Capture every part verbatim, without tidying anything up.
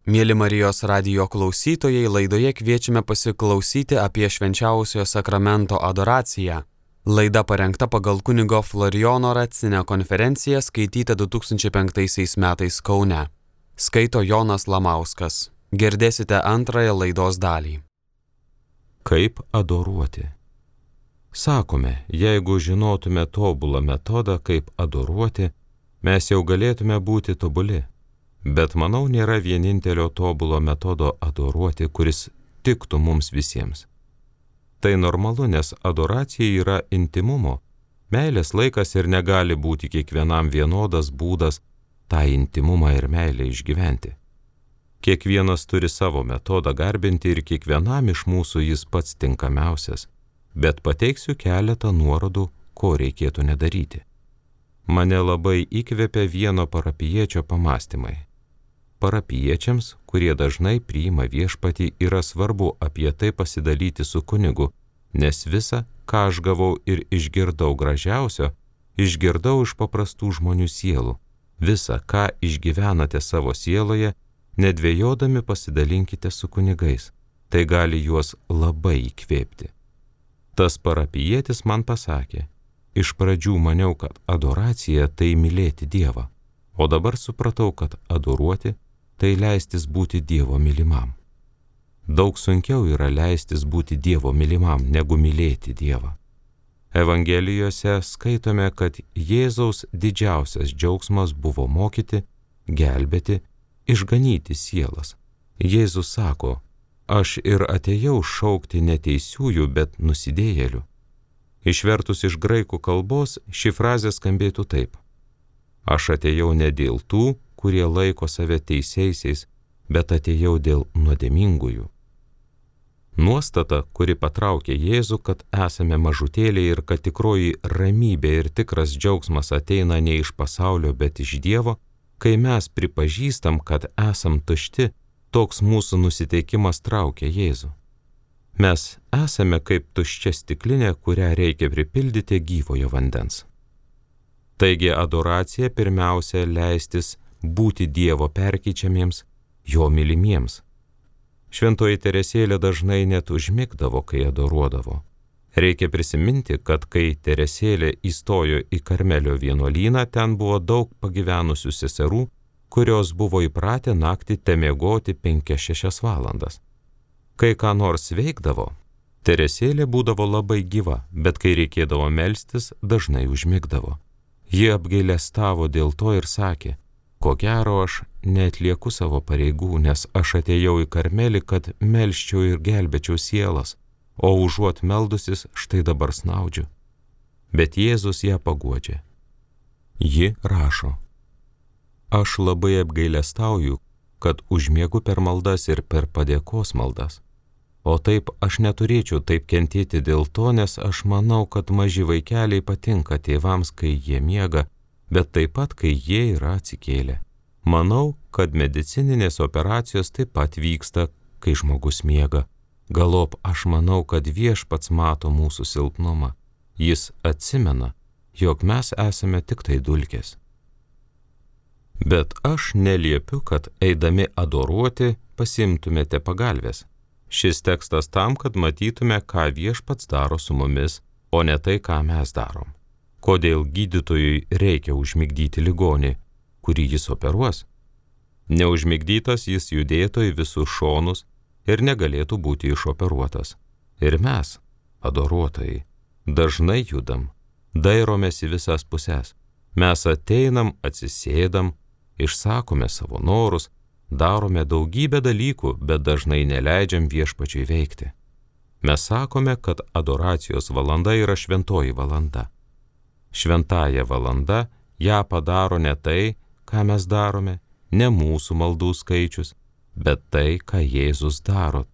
Mieli Marijos radijo klausytojai, laidoje kviečiame pasiklausyti apie švenčiausiojo sakramento adoraciją. Laida parengta pagal kunigo Florijono Racinę konferenciją skaitytą du tūkstančiai penktaisiais metais Kaune. Skaito Jonas Lamauskas. Girdėsite antrąją laidos dalį. Kaip adoruoti? Sakome, jeigu žinotume tobulą metodą, kaip adoruoti, mes jau galėtume būti tobuli. Bet manau, nėra vienintelio tobulo metodo adoruoti, kuris tiktų mums visiems. Tai normalu, nes adoracija yra intimumo. Meilės laikas ir negali būti kiekvienam vienodas būdas tą intimumą ir meilę išgyventi. Kiekvienas turi savo metodą garbinti ir kiekvienam iš mūsų jis pats tinkamiausias, bet pateiksiu keletą nuorodų, ko reikėtų nedaryti. Mane labai įkvėpia vieno parapijiečio pamąstymai. Parapijiečiams, kurie dažnai priima viešpatį, yra svarbu apie tai pasidalyti su kunigu, nes visa, ką aš gavau ir išgirdau gražiausio, išgirdau iš paprastų žmonių sielų. Visa, ką išgyvenate savo sieloje, nedvejodami pasidalinkite su kunigais. Tai gali juos labai įkvėpti. Tas parapijietis man pasakė, iš pradžių maniau, kad adoracija tai mylėti Dievą, o dabar supratau, kad adoruoti tai leistis būti Dievo mylimam. Daug sunkiau yra leistis būti Dievo mylimam, negu mylėti Dievą. Evangelijose skaitome, kad Jėzaus didžiausias džiaugsmas buvo mokyti, gelbėti, išganyti sielas. Jėzus sako, aš ir atėjau šaukti neteisiųjų, bet nusidėjėlių. Išvertus iš graikų kalbos, ši frazė skambėtų taip. Aš atėjau ne dėl tų, kurie laiko save teisiaisiais, bet atėjau dėl nuodėmingųjų. Nuostata, kuri patraukė Jėzų, kad esame mažutėliai ir kad tikroji ramybė ir tikras džiaugsmas ateina ne iš pasaulio, bet iš Dievo, kai mes pripažįstam, kad esam tušti, toks mūsų nusiteikimas traukia Jėzų. Mes esame kaip tuščia stiklinė, kurią reikia pripildyti gyvojo vandens. Taigi adoracija pirmiausia leistis būti Dievo perkeičiamiems, jo mylimiems. Šventoji Teresėlė dažnai net užmigdavo, kai adoruodavo. Reikia prisiminti, kad kai Teresėlė įstojo į Karmelio vienuolyną, ten buvo daug pagyvenusių seserų, kurios buvo įpratę naktį temiegoti penkias šešias valandas. Kai ką nors veikdavo, Teresėlė būdavo labai gyva, bet kai reikėdavo melstis, dažnai užmigdavo. Ji apgailestavo dėl to ir sakė, ko gero aš neatlieku savo pareigų, nes aš atėjau į Karmelį, kad melsčiau ir gelbėčiau sielas, o užuot meldusis štai dabar snaudžiu. Bet Jėzus ją paguodžia. Ji rašo, aš labai apgailestauju, kad užmiegu per maldas ir per padėkos maldas. O taip aš neturėčiau taip kentėti dėl to, nes aš manau, kad maži vaikeliai patinka tėvams, kai jie miega, bet taip pat, kai jie yra atsikėlę. Manau, kad medicininės operacijos taip pat vyksta, kai žmogus miega. Galop aš manau, kad viešpats mato mūsų silpnumą. Jis atsimena, jog mes esame tik tai dulkės. Bet aš neliepiu, kad eidami adoruoti pasiimtumėte pagalvės. Šis tekstas tam, kad matytume, ką viešpats daro su mumis, o ne tai, ką mes darom. Kodėl gydytojui reikia užmigdyti ligonį, kurį jis operuos? Neužmigdytas jis judėtų į visus šonus ir negalėtų būti išoperuotas. Ir mes, adoruotojai, dažnai judam, dairomės į visas puses. Mes ateinam, atsisėdam, išsakome savo norus, darome daugybę dalykų, bet dažnai neleidžiam viešpačiui veikti. Mes sakome, kad adoracijos valanda yra šventoji valanda. Šventąja valanda ją padaro ne tai, ką mes darome, ne mūsų maldų skaičius, bet tai, ką Jėzus daro.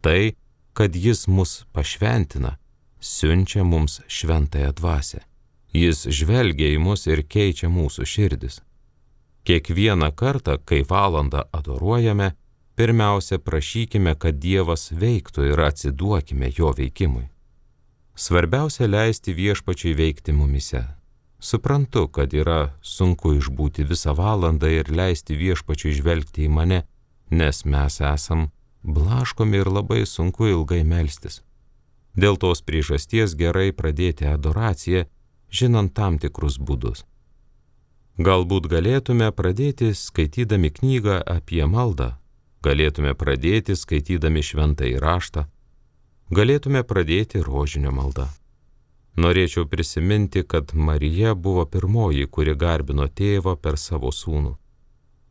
Tai, kad jis mus pašventina, siunčia mums šventąją dvasią. Jis žvelgia į mus ir keičia mūsų širdis. Kiekvieną kartą, kai valandą adoruojame, pirmiausia prašykime, kad Dievas veiktų ir atsiduokime jo veikimui. Svarbiausia leisti viešpačiui veikti mumise. Suprantu, kad yra sunku išbūti visą valandą ir leisti viešpačiui žvelgti į mane, nes mes esam blaškomi ir labai sunku ilgai melstis. Dėl tos priežasties gerai pradėti adoraciją, žinant tam tikrus būdus. Galbūt galėtume pradėti skaitydami knygą apie maldą, galėtume pradėti skaitydami šventąjį raštą, galėtume pradėti rožinio maldą. Norėčiau prisiminti, kad Marija buvo pirmoji, kuri garbino tėvą per savo sūnų.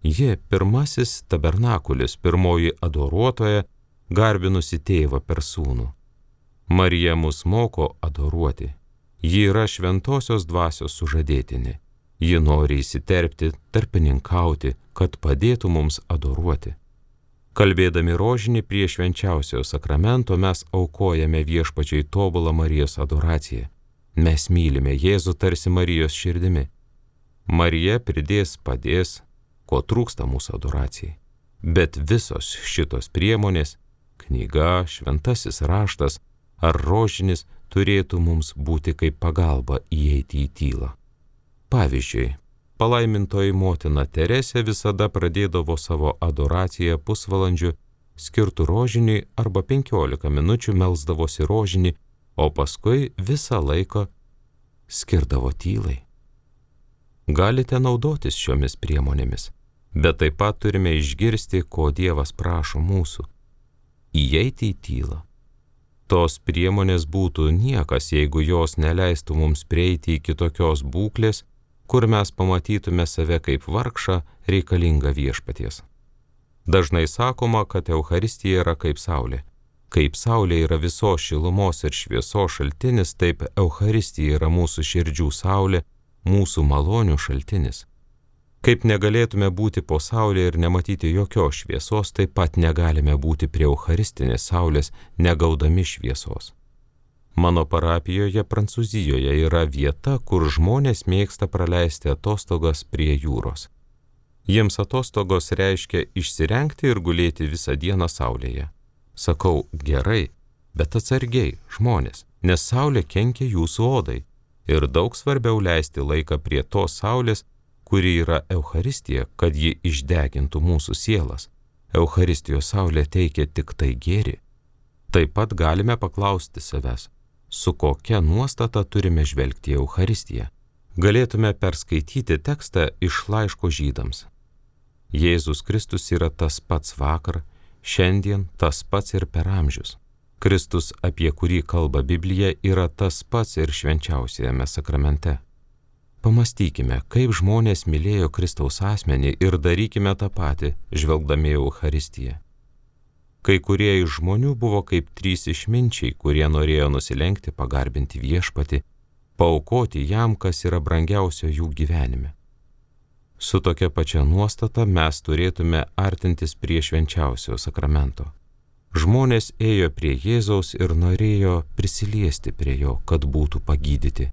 Ji pirmasis tabernakulis, pirmoji adoruotoja, garbinusi tėvą per sūnų. Marija mus moko adoruoti. Ji yra šventosios dvasios sužadėtinė. Ji nori įsiterpti, tarpininkauti, kad padėtų mums adoruoti. Kalbėdami rožinį prie švenčiausiojo sakramento mes aukojame viešpačiai tobulą Marijos adoraciją. Mes mylime Jėzų tarsi Marijos širdimi. Marija pridės, padės, ko trūksta mūsų adoracijai. Bet visos šitos priemonės, knyga, šventasis raštas ar rožinis, turėtų mums būti kaip pagalba įeiti į tylą. Pavyzdžiui, palaimintoji motina Teresė visada pradėdavo savo adoraciją pusvalandžiu skirtų rožiniui arba penkiolika minučių melsdavosi rožinį, o paskui visą laiką skirdavo tylai. Galite naudotis šiomis priemonėmis, bet taip pat turime išgirsti, ko Dievas prašo mūsų – įeiti į tylą. Tos priemonės būtų niekas, jeigu jos neleistų mums prieiti iki tokios būklės, kur mes pamatytume save kaip vargšą reikalingą viešpaties. Dažnai sakoma, kad Eucharistija yra kaip saulė. Kaip saulė yra visos šilumos ir šviesos šaltinis, taip Eucharistija yra mūsų širdžių saulė, mūsų malonių šaltinis. Kaip negalėtume būti po saulė ir nematyti jokios šviesos, taip pat negalime būti prie eucharistinės saulės, negaudami šviesos. Mano parapijoje Prancūzijoje yra vieta, kur žmonės mėgsta praleisti atostogas prie jūros. Jiems atostogos reiškia išsirengti ir gulėti visą dieną saulėje. Sakau, gerai, bet atsargiai, žmonės, nes saulė kenkia jūsų odai ir daug svarbiau leisti laiką prie tos saulės, kuri yra Eucharistija, kad ji išdegintų mūsų sielas. Eucharistijos saulė teikia tik tai gėrį. Taip pat galime paklausti savęs, su kokia nuostata turime žvelgti į Eucharistiją. Galėtume perskaityti tekstą iš laiško Žydams. Jėzus Kristus yra tas pats vakar, šiandien tas pats ir per amžius. Kristus, apie kurį kalba Biblija, yra tas pats ir švenčiausiajame sakramente. Pamastykime, kaip žmonės mylėjo Kristaus asmenį ir darykime tą patį, žvelgdami į Eucharistiją. Kai kurie iš žmonių buvo kaip trys išminčiai, kurie norėjo nusilenkti, pagarbinti viešpatį, paaukoti jam, kas yra brangiausio jų gyvenime. Su tokia pačia nuostata mes turėtume artintis prie švenčiausiojo sakramento. Žmonės ėjo prie Jėzaus ir norėjo prisiliesti prie jo, kad būtų pagydyti.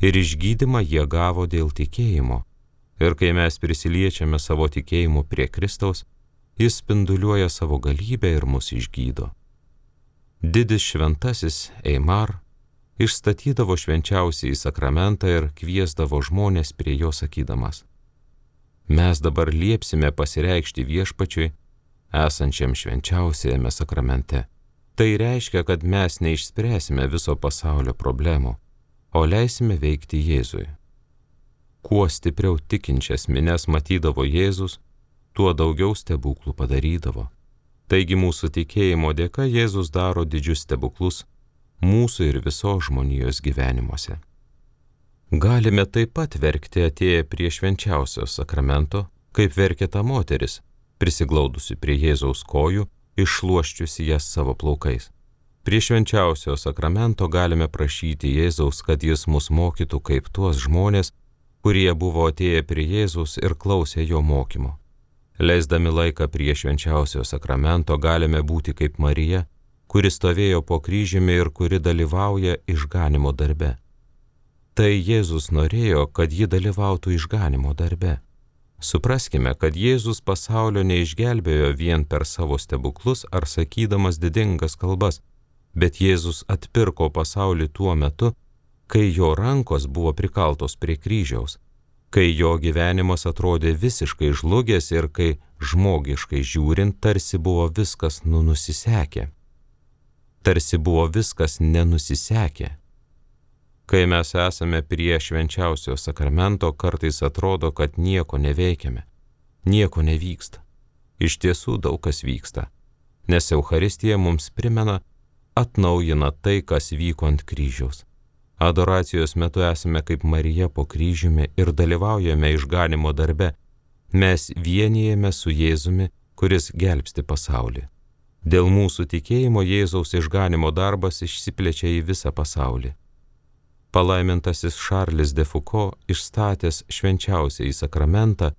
Ir išgydymą jie gavo dėl tikėjimo. Ir kai mes prisiliečiame savo tikėjimu prie Kristaus, jis spinduliuoja savo galybę ir mus išgydo. Didis šventasis Eimar išstatydavo švenčiausiąjį sakramentą ir kviesdavo žmonės prie jo sakydamas: mes dabar liepsime pasireikšti viešpačiui, esančiam švenčiausiajame sakramente. Tai reiškia, kad mes neišspręsime viso pasaulio problemų, o leisime veikti Jėzui. Kuo stipriau tikinčias minias matydavo Jėzus, tuo daugiau stebuklų padarydavo. Taigi mūsų tikėjimo dėka Jėzus daro didžius stebuklus mūsų ir visos žmonijos gyvenimuose. Galime taip pat verkti atėję prie švenčiausio sakramento, kaip verkė ta moteris, prisiglaudusi prie Jėzaus kojų, iššluosčiusi jas savo plaukais. Prie švenčiausio sakramento galime prašyti Jėzaus, kad jis mus mokytų kaip tuos žmonės, kurie buvo atėję prie Jėzaus ir klausė jo mokymo. Leisdami laiką prie švenčiausio sakramento galime būti kaip Marija, kuri stovėjo po kryžiumi ir kuri dalyvauja išganimo darbe. Tai Jėzus norėjo, kad ji dalyvautų išganimo darbe. Supraskime, kad Jėzus pasaulio neišgelbėjo vien per savo stebuklus ar sakydamas didingas kalbas, bet Jėzus atpirko pasaulį tuo metu, kai jo rankos buvo prikaltos prie kryžiaus. kai jo gyvenimas atrodė visiškai žlugęs ir kai žmogiškai žiūrint tarsi buvo viskas nunusisekę. Tarsi buvo viskas nenusisekę. Kai mes esame prie švenčiausio sakramento, kartais atrodo, kad nieko neveikiame, nieko nevyksta. Iš tiesų daug kas vyksta, nes Eucharistija mums primena, atnaujina tai, kas vyko ant kryžiaus. Adoracijos metu esame kaip Marija po kryžiumi ir dalyvaujame išganimo darbe. Mes vienijame su Jėzumi, kuris gelbsti pasaulį. Dėl mūsų tikėjimo Jėzaus išganimo darbas išsiplečia į visą pasaulį. Palaimintasis Šarlis de Foucault, išstatęs švenčiausiąjį sakramentą,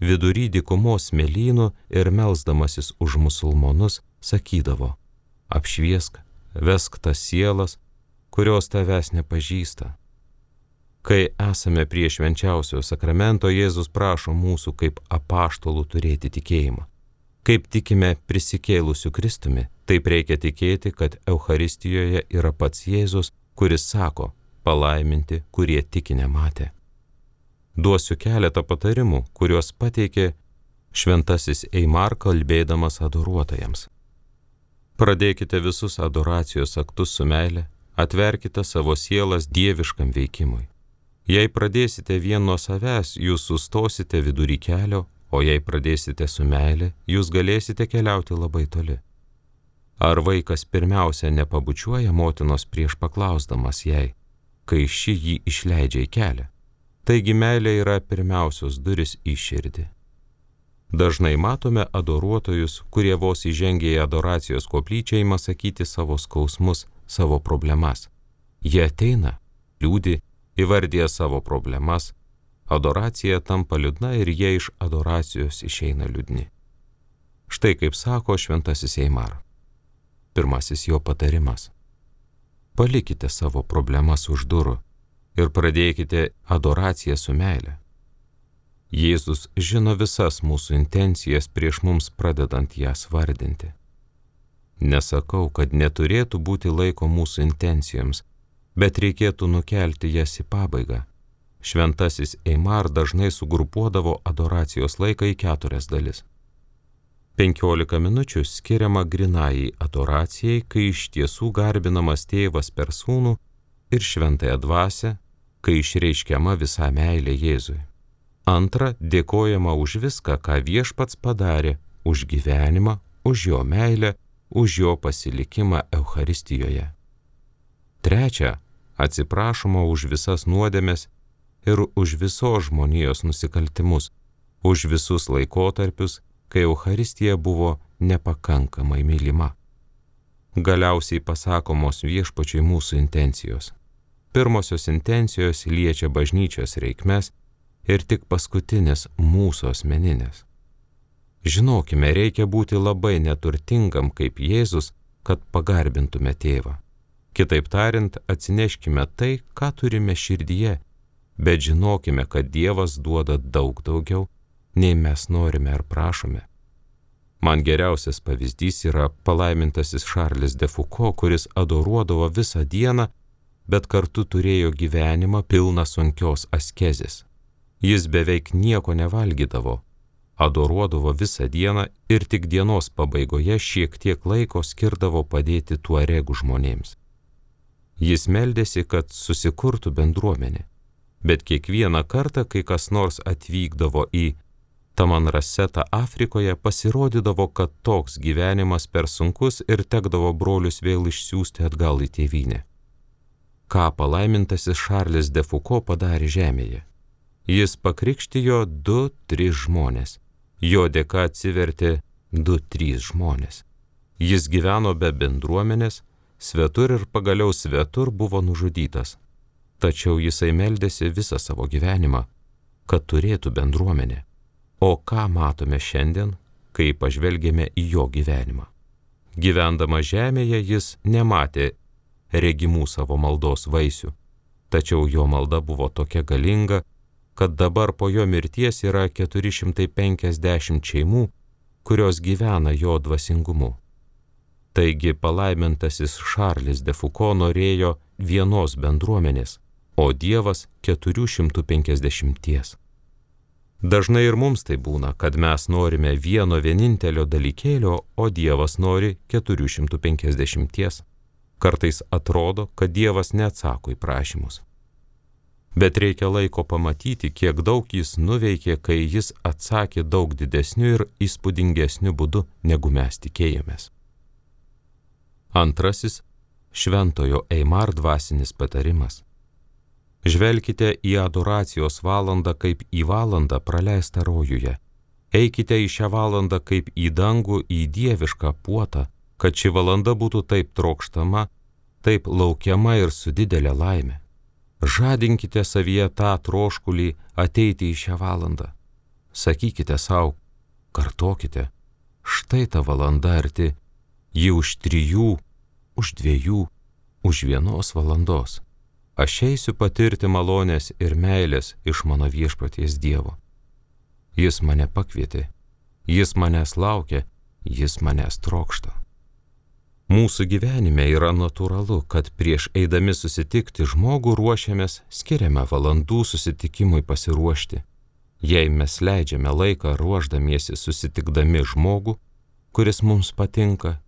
vidury dykumos smėlynų ir melsdamasis už musulmonus, sakydavo: apšviesk, vesk tas sielas, kurios tavęs nepažįsta. Kai esame prie švenčiausio sakramento, Jėzus prašo mūsų kaip apaštalų turėti tikėjimą. Kaip tikime prisikėlusiu Kristumi, taip reikia tikėti, kad Eucharistijoje yra pats Jėzus, kuris sako: palaiminti, kurie tiki nematė. Duosiu keletą patarimų, kuriuos pateikė šventasis Eimar kalbėdamas adoruotojams. Pradėkite visus adoracijos aktus su meile, atverkite savo sielas dieviškam veikimui. Jei pradėsite vien nuo savęs, jūs sustosite vidury kelio, o jei pradėsite su meile, jūs galėsite keliauti labai toli. Ar vaikas pirmiausia nepabučiuoja motinos prieš paklausdamas jai, kai ši jį išleidžia į kelią? Taigi meilė yra pirmiausios duris į širdį. Dažnai matome adoruotojus, kurie vos įžengia į adoracijos koplyčią ima sakyti savo skausmus, savo problemas. Jie ateina, liūdi, įvardija savo problemas, adoracija tampa liūdna ir jie iš adoracijos išeina liūdni. Štai kaip sako šventasis Eimar. Pirmasis jo patarimas. Palikite savo problemas už durų ir pradėkite adoraciją su meile. Jėzus žino visas mūsų intencijas prieš mums pradedant jas vardinti. Nesakau, kad neturėtų būti laiko mūsų intencijoms, bet reikėtų nukelti jas į pabaigą. Šventasis Eimar dažnai sugrupuodavo adoracijos laiką į keturias dalis. Penkiolika minučių skiriama grynajai adoracijai, kai iš tiesų garbinamas tėvas per sūnų ir šventąją dvasią, kai išreiškiama visa meilė Jėzui. Antra, dėkojama už viską, ką viešpats padarė, už gyvenimą, už jo meilę, už jo pasilikimą Eucharistijoje. Trečia, atsiprašoma už visas nuodėmes ir už visos žmonijos nusikaltimus, už visus laikotarpius, kai Eucharistija buvo nepakankamai mylima. Galiausiai pasakomos viešpačiui mūsų intencijos. Pirmosios intencijos liečia bažnyčios reikmes ir tik paskutinės mūsų asmeninės. Žinokime, reikia būti labai neturtingam kaip Jėzus, kad pagarbintume tėvą. Kitaip tariant, atsineškime tai, ką turime širdyje, bet žinokime, kad Dievas duoda daug daugiau, nei mes norime ar prašome. Man geriausias pavyzdys yra palaimintasis Šarlis de Foucault, kuris adoruodavo visą dieną, bet kartu turėjo gyvenimą pilną sunkios askezės. Jis beveik nieko nevalgydavo, adoruodavo visą dieną ir tik dienos pabaigoje šiek tiek laiko skirdavo padėti tuaregų žmonėms. Jis meldėsi, kad susikurtų bendruomenė, bet kiekvieną kartą, kai kas nors atvykdavo į Tamanrasetą Afrikoje, pasirodydavo, kad toks gyvenimas per sunkus ir tekdavo brolius vėl išsiųsti atgal į tėvynę. Ką palaimintasis Šarlis de Foucault padarė žemėje? Jis pakrikštijo du, tris žmonės. Jo dėka atsivertė du, trys žmonės. Jis gyveno be bendruomenės, svetur ir pagaliau svetur buvo nužudytas. Tačiau jisai meldėsi visą savo gyvenimą, kad turėtų bendruomenę. O ką matome šiandien, kai pažvelgėme į jo gyvenimą? Gyvendama žemėje jis nematė regimų savo maldos vaisių, tačiau jo malda buvo tokia galinga, kad dabar po jo mirties yra keturi šimtai penkiasdešimt šeimų, kurios gyvena jo dvasingumu. Taigi palaimintasis Šarlis de Foucault norėjo vienos bendruomenės, o Dievas keturių šimtų penkiasdešimties. Dažnai ir mums tai būna, kad mes norime vieno vienintelio dalykėlio, o Dievas nori keturių šimtų penkiasdešimties. Kartais atrodo, kad Dievas neatsako į prašymus. Bet reikia laiko pamatyti, kiek daug jis nuveikė, kai jis atsakė daug didesniu ir įspūdingesniu būdu, negu mes tikėjomės. Antrasis – šventojo Eimar dvasinis patarimas. Žvelkite į adoracijos valandą kaip į valandą praleistą rojuje. Eikite į šią valandą kaip į dangų, į dievišką puotą, kad ši valanda būtų taip trokštama, taip laukiama ir su didelė laimė. Žadinkite savyje tą troškulį ateiti į šią valandą. Sakykite savo, kartokite, štai ta valanda arti, ji už trijų, už dviejų, už vienos valandos. Aš eisiu patirti malonės ir meilės iš mano viešpaties Dievo. Jis mane pakvietė, jis manęs laukia, jis manęs trokšta. Mūsų gyvenime yra natūralu, kad prieš eidami susitikti žmogų ruošiamės, skiriame valandų susitikimui pasiruošti. Jei mes leidžiame laiką ruošdamiesi susitikdami žmogų, kuris mums patinka,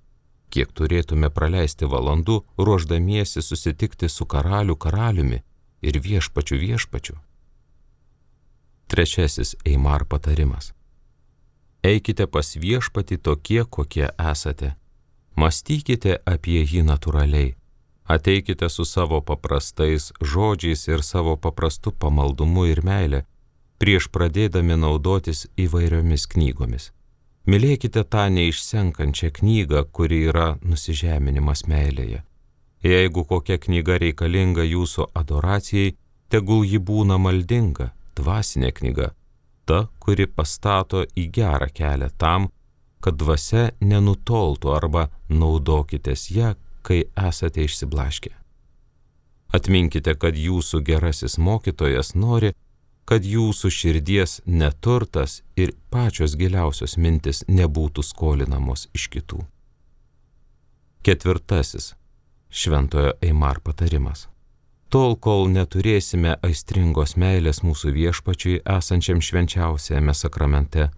kiek turėtume praleisti valandų ruošdamiesi susitikti su karalių karaliumi ir viešpačiu viešpačiu. Trečiasis Eimar patarimas. Eikite pas viešpatį tokie, kokie esate. Mąstykite apie jį natūraliai. Ateikite su savo paprastais žodžiais ir savo paprastu pamaldumu ir meile, prieš pradėdami naudotis įvairiomis knygomis. Mylėkite tą neišsenkančią knygą, kuri yra nusižeminimas meilėje. Jeigu kokia knyga reikalinga jūsų adoracijai, tegul ji būna maldinga, dvasinė knyga, ta, kuri pastato į gerą kelią tam, kad dvasia nenutoltų arba naudokitės ją, kai esate išsiblaškę. Atminkite, kad jūsų gerasis mokytojas nori, kad jūsų širdies neturtas ir pačios giliausios mintis nebūtų skolinamos iš kitų. Ketvirtasis šventojo Eimar patarimas. Tol, kol neturėsime aistringos meilės mūsų viešpačiui esančiam švenčiausiame sakramente,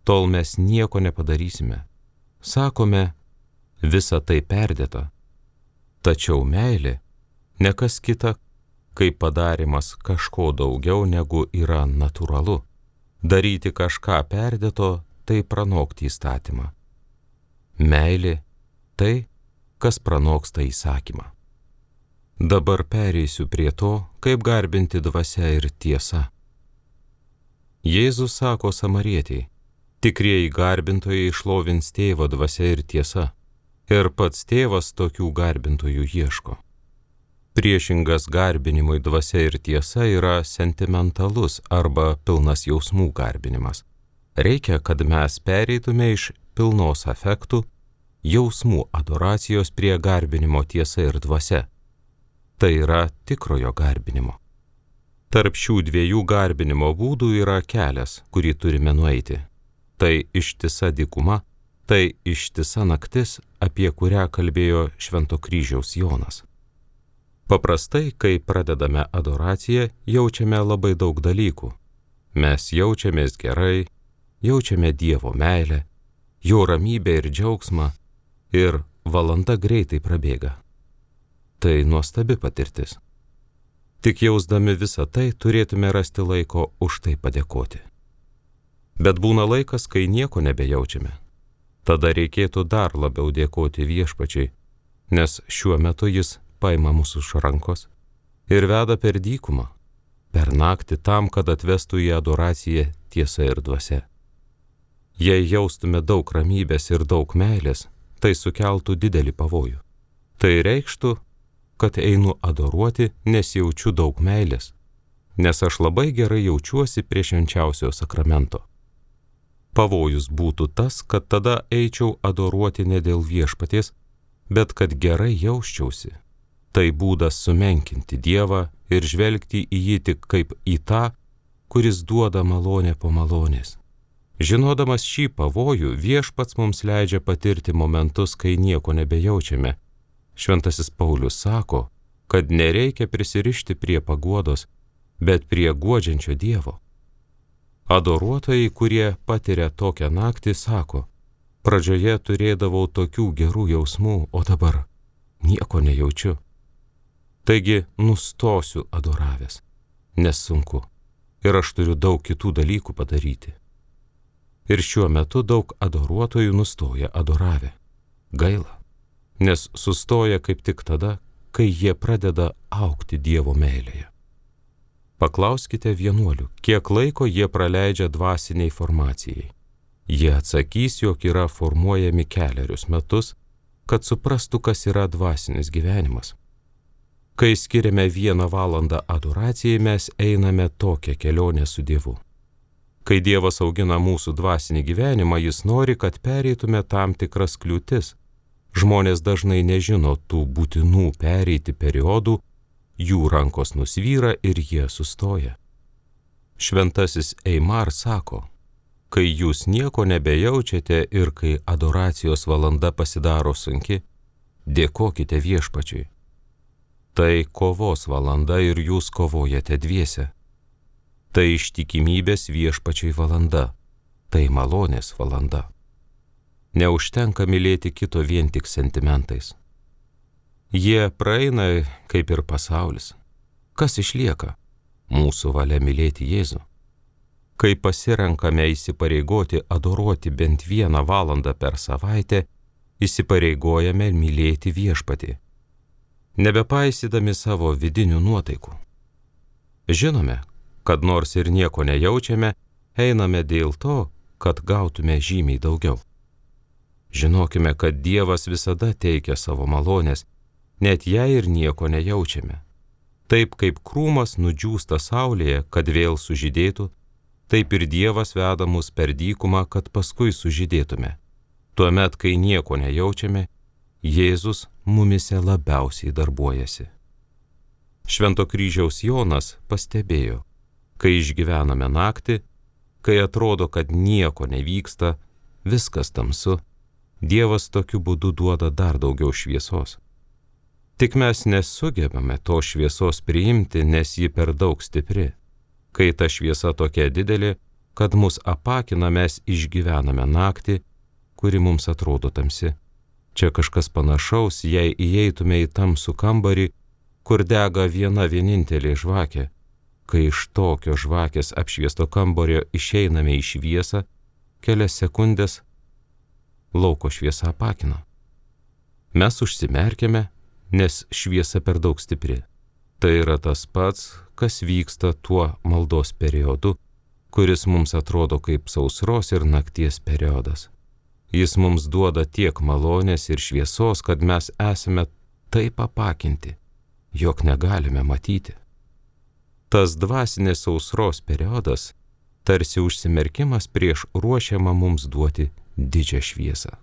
tol mes nieko nepadarysime. Sakome, visa tai perdėta. Tačiau meilė ne kas kita, kaip padarimas kažko daugiau negu yra natūralu. Daryti kažką perdėto, tai pranokti įstatymą. Meilė tai, kas pranoksta įsakymą. Dabar pereisiu prie to, kaip garbinti dvasia ir tiesa. Jėzus sako samarietei, tikrieji garbintojai šlovins tėvą dvasia ir tiesa, ir pats tėvas tokių garbintojų ieško. Priešingas garbinimui dvasia ir tiesa yra sentimentalus arba pilnas jausmų garbinimas. Reikia, kad mes pereitume iš pilnos afektų, jausmų adoracijos prie garbinimo tiesa ir dvasia. Tai yra tikrojo garbinimo. Tarp šių dviejų garbinimo būdų yra kelias, kurį turime nueiti. Tai ištisa dykuma, tai ištisa naktis, apie kurią kalbėjo Švento kryžiaus Jonas. Paprastai, kai pradedame adoraciją, jaučiame labai daug dalykų. Mes jaučiamės gerai, jaučiame Dievo meilę, jo ramybę ir džiaugsmą, ir valanda greitai prabėga. Tai nuostabi patirtis. Tik jausdami visą tai turėtume rasti laiko už tai padėkoti. Bet būna laikas, kai nieko nebejaučiame. Tada reikėtų dar labiau dėkoti viešpačiai, nes šiuo metu jis paima mūsų už rankos ir veda per dykumą, per naktį tam, kad atvestų į adoraciją tiesa ir dvasia. Jei jaustume daug ramybės ir daug meilės, tai sukeltų didelį pavojų. Tai reikštų, kad einu adoruoti, nes jaučiu daug meilės, nes aš labai gerai jaučiuosi prie švenčiausio sakramento. Pavojus būtų tas, kad tada eičiau adoruoti ne dėl viešpaties, bet kad gerai jausčiausi. Tai būdas sumenkinti Dievą ir žvelgti į jį tik kaip į tą, kuris duoda malonę po malonės. Žinodamas šį pavojų, viešpats mums leidžia patirti momentus, kai nieko nebejaučiame. Šventasis Paulius sako, kad nereikia prisirišti prie paguodos, bet prie guodžiančio Dievo. Adoruotojai, kurie patiria tokią naktį, sako, pradžioje turėdavau tokių gerų jausmų, o dabar nieko nejaučiu. Taigi nustosiu adoravęs, nes sunku ir aš turiu daug kitų dalykų padaryti. Ir šiuo metu daug adoruotojų nustoja adoravę. Gaila, nes sustoja kaip tik tada, kai jie pradeda augti Dievo meilėje. Paklauskite vienuolių, kiek laiko jie praleidžia dvasiniai formacijai. Jie atsakys, jog yra formuojami kelerius metus, kad suprastų, kas yra dvasinis gyvenimas. Kai skiriame vieną valandą adoracijai, mes einame tokią kelionę su Dievu. Kai Dievas augina mūsų dvasinį gyvenimą, jis nori, kad pereitume tam tikras kliūtis. Žmonės dažnai nežino tų būtinų pereiti periodų, jų rankos nusvyra ir jie sustoja. Šventasis Eimar sako, kai jūs nieko nebejaučiate ir kai adoracijos valanda pasidaro sunki, dėkokite Viešpačiui. Tai kovos valanda ir jūs kovojate dviese. Tai ištikimybės Viešpačiui valanda, tai malonės valanda. Neužtenka mylėti kito vien tik sentimentais. Jie praeina kaip ir pasaulis. Kas išlieka? Mūsų valia mylėti Jėzų. Kai pasirenkame įsipareigoti adoruoti bent vieną valandą per savaitę, įsipareigojame mylėti Viešpatį, nebepaisydami savo vidinių nuotaikų. Žinome, kad nors ir nieko nejaučiame, einame dėl to, kad gautume žymiai daugiau. Žinokime, kad Dievas visada teikia savo malonės, net jei ir nieko nejaučiame. Taip kaip krūmas nudžiūsta saulėje, kad vėl sužydėtų, taip ir Dievas veda mus per dykumą, kad paskui sužydėtume. Tuomet, kai nieko nejaučiame, Jėzus mumise labiausiai darbuojasi. Švento kryžiaus Jonas pastebėjo, kai išgyvename naktį, kai atrodo, kad nieko nevyksta, viskas tamsu, Dievas tokiu būdu duoda dar daugiau šviesos. Tik mes nesugebame to šviesos priimti, nes ji per daug stipri. Kai ta šviesa tokia didelė, kad mus apakina, mes išgyvename naktį, kuri mums atrodo tamsi. Čia kažkas panašaus, jei įeitume į tamsų kambarį, kur dega viena vienintelė žvakė. Kai iš tokio žvakės apšviesto kambario išeiname į šviesą, kelias sekundės lauko šviesa apakina. Mes užsimerkėme, nes šviesa per daug stipri. Tai yra tas pats, kas vyksta tuo maldos periodu, kuris mums atrodo kaip sausros ir nakties periodas. Jis mums duoda tiek malonės ir šviesos, kad mes esame taip apakinti, jog negalime matyti. Tas dvasinės sausros periodas tarsi užsimerkimas prieš ruošiamą mums duoti didžią šviesą.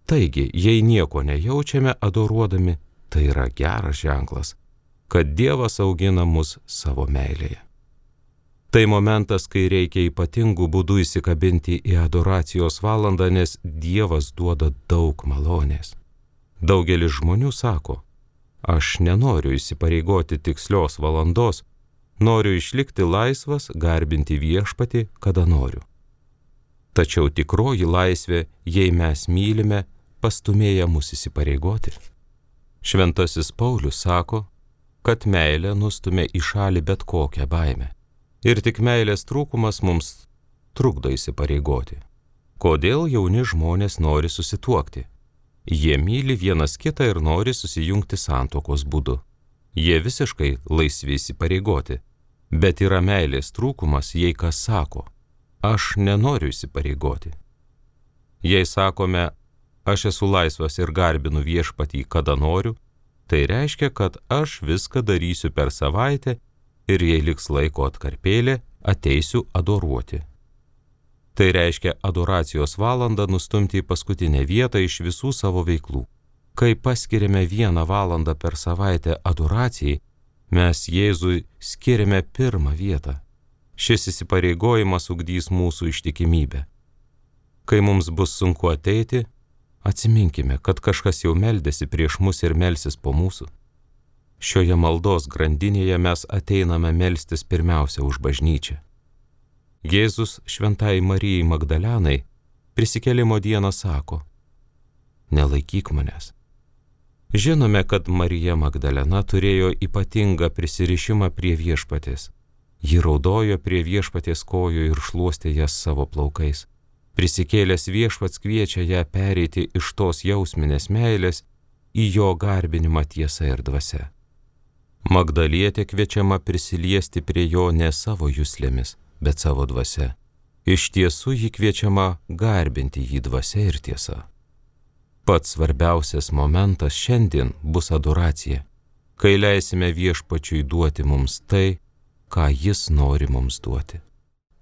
Taigi, jei nieko nejaučiame adoruodami, tai yra geras ženklas, kad Dievas augina mus savo meilėje. Tai momentas, kai reikia ypatingų būdų įsikabinti į adoracijos valandą, nes Dievas duoda daug malonės. Daugelis žmonių sako, aš nenoriu įsipareigoti tikslios valandos, noriu išlikti laisvas, garbinti Viešpatį, kada noriu. Tačiau tikroji laisvė, jei mes mylime, pastumėja mus įsipareigoti. Šventasis Paulius sako, kad meilė nustumia į šalį bet kokią baimę. Ir tik meilės trūkumas mums trukdo įsipareigoti. Kodėl jauni žmonės nori susituokti? Jie myli vienas kitą ir nori susijungti santuokos būdu. Jie visiškai laisvi įsipareigoti, bet yra meilės trūkumas, jei kas sako, aš nenoriu įsipareigoti. Jei sakome, aš esu laisvas ir garbinu Viešpatį, kada noriu, tai reiškia, kad aš viską darysiu per savaitę ir jei liks laiko atkarpėlė, ateisiu adoruoti. Tai reiškia adoracijos valandą nustumti į paskutinę vietą iš visų savo veiklų. Kai paskiriame vieną valandą per savaitę adoracijai, mes Jėzui skiriame pirmą vietą. Šis įsipareigojimas ugdys mūsų ištikimybę. Kai mums bus sunku ateiti, atsiminkime, kad kažkas jau meldėsi prieš mus ir melsis po mūsų. Šioje maldos grandinėje mes ateiname melstis pirmiausia už bažnyčią. Jėzus šventai Marijai Magdalenai prisikėlimo dieną sako: nelaikyk manęs. Žinome, kad Marija Magdalena turėjo ypatingą prisirišimą prie viešpaties. Ji raudojo prie viešpaties kojų ir šluostė jas savo plaukais. Prisikėlęs viešpats kviečia ją pereiti iš tos jausminės meilės į jo garbinimą tiesa ir dvasia. Magdalietė kviečiama prisiliesti prie jo ne savo juslėmis, bet savo dvasia. Iš tiesų ji kviečiama garbinti jį dvasia ir tiesa. Pats svarbiausias momentas šiandien bus adoracija, kai leisime viešpačiui duoti mums tai, ką jis nori mums duoti.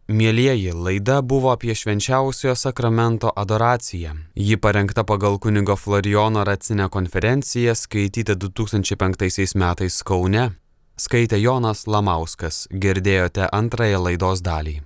Mielieji, laida buvo apie švenčiausiojo sakramento adoraciją. Ji parengta pagal kunigo Florijono Racinę konferenciją, skaityta du tūkstančiai penktaisiais metais Kaune. Skaitė Jonas Lamauskas. Girdėjote antrąją laidos dalį.